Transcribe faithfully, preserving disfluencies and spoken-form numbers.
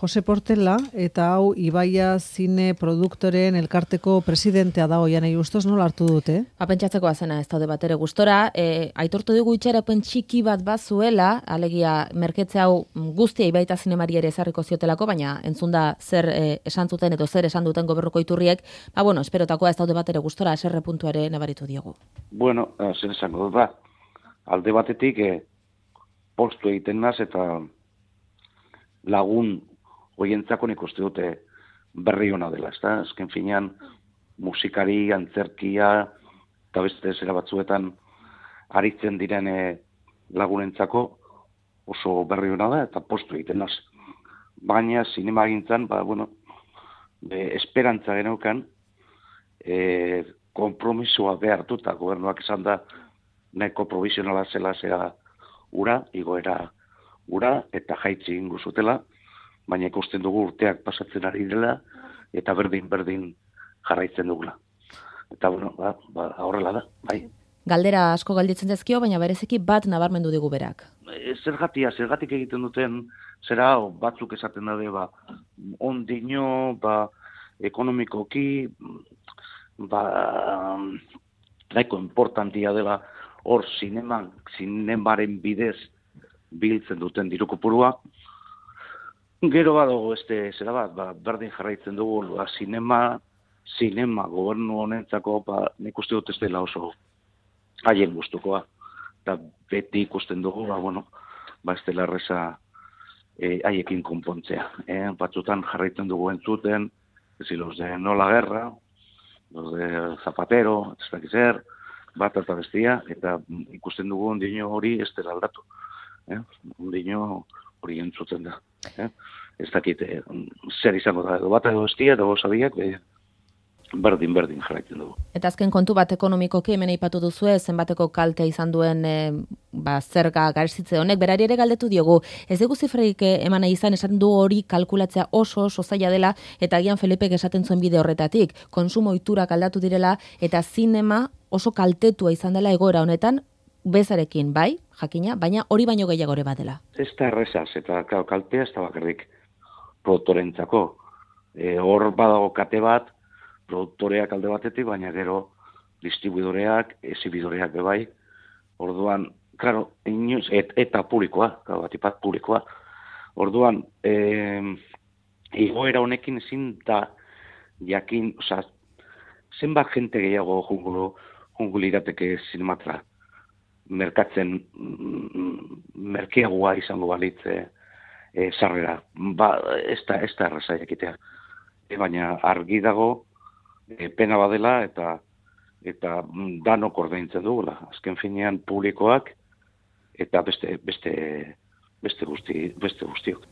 Jose Portela, eta hau Ibaia Zine Produktoren elkarteko presidentea da hoian nahi ustez, nola hartu dute? Ba, pentsatzeko azena ez daude bat ere gustora, e, aitortu dugu itxaropen txiki bat bazuela, alegia merketze hau guztia Ibaita Zinemari ere ezarriko ziotelako, baina entzunda zer e, esan zuten edo zer esan duten gobernuko iturriek, ba bueno, esperotakoa ez daude bat ere gustora, eserre puntuare nabaritu diogu. Bueno, zer esango dut, ba, alde batetik e, postu egiten naz eta lagun hoientzako nik uste dute berri ona dela, ezta? Azken finean musikari, antzerkia eta beste zera batzuetan aritzen diren e, lagunentzako oso berri ona da eta postu egiten naz. Baina zinemagintzan, ba, bueno, e, esperantza geneukan e, kompromisoa behartu eta gobernuak esan da nahiko provisionala zela zera ura, igoera ura, eta jaitzi ingo zutela, baina ikusten dugu urteak pasatzen ari dela, eta berdin-berdin jarraitzen dugula. Eta, bueno, ba, ba, horrela da, bai. Galdera asko galditzen dezkio, baina bereziki bat nabarmendu digu berak. E, zergatia, zergatik egiten duten, zera batzuk esaten daude, ba, ondino, ba, ekonomikoki, ba, nahiko importantia dela, hor zineman, zinemaren bidez biltzen duten diru kopurua. Gero badago este zera bat, ba, berdin jarraitzen dugu, ba, zinema, zinema gobernu honentzako, ba, nik uste dut ez dela oso haien gustukoa. Eta beti ikusten dugu, ba, bueno, ba, ez dela erreza e, haiekin konpontzea. E, batzutan jarraitzen dugu entzuten, ez los de No la Guerra, los de Zapatero, ez dakiz zer, bat eta bestia, eta ikusten dugu ondino hori ez dela aldatu. Eh? Ondino hori entzuten da. Eh? Ez dakit, eh, zer izango da, edo bat edo bestia, edo gozabiak, eh, berdin-berdin jarraitzen dugu. Eta azken kontu bat ekonomikoki hemen aipatu duzue, zenbateko kaltea izan duen e, ba, zerga garzitze honek, berari ere galdetu diogu. Ez dugu zifreik eman nahi izan, esaten du hori kalkulatzea oso oso zaila dela, eta agian Felipek esaten zuen bide horretatik, konsumo ohiturak aldatu direla, eta zinema oso kaltetua izan dela egoera honetan, bezarekin, bai, jakina, baina hori baino gehiagore badela. Ez da errezaz, eta klar, kaltea ez da bakarrik produktorentzako. E, hor badago kate bat, produktoreak alde batetik, baina gero distribuidoreak, ezibidoreak bebai. Orduan, klaro, inoz, et, eta publikoa, klaro, batipat publikoa. Orduan, e, igoera honekin ezin da jakin, oza, zenbat jente gehiago jungulo, jungulirateke zinematra merkatzen merkeagoa izango balitze e, sarrera. Ba, ez da, ez da erraza jakitea. E, baina argi dago e, pena badela eta eta danok ordaintzen dugula. Azken finean publikoak eta beste beste beste guzti beste guztiok.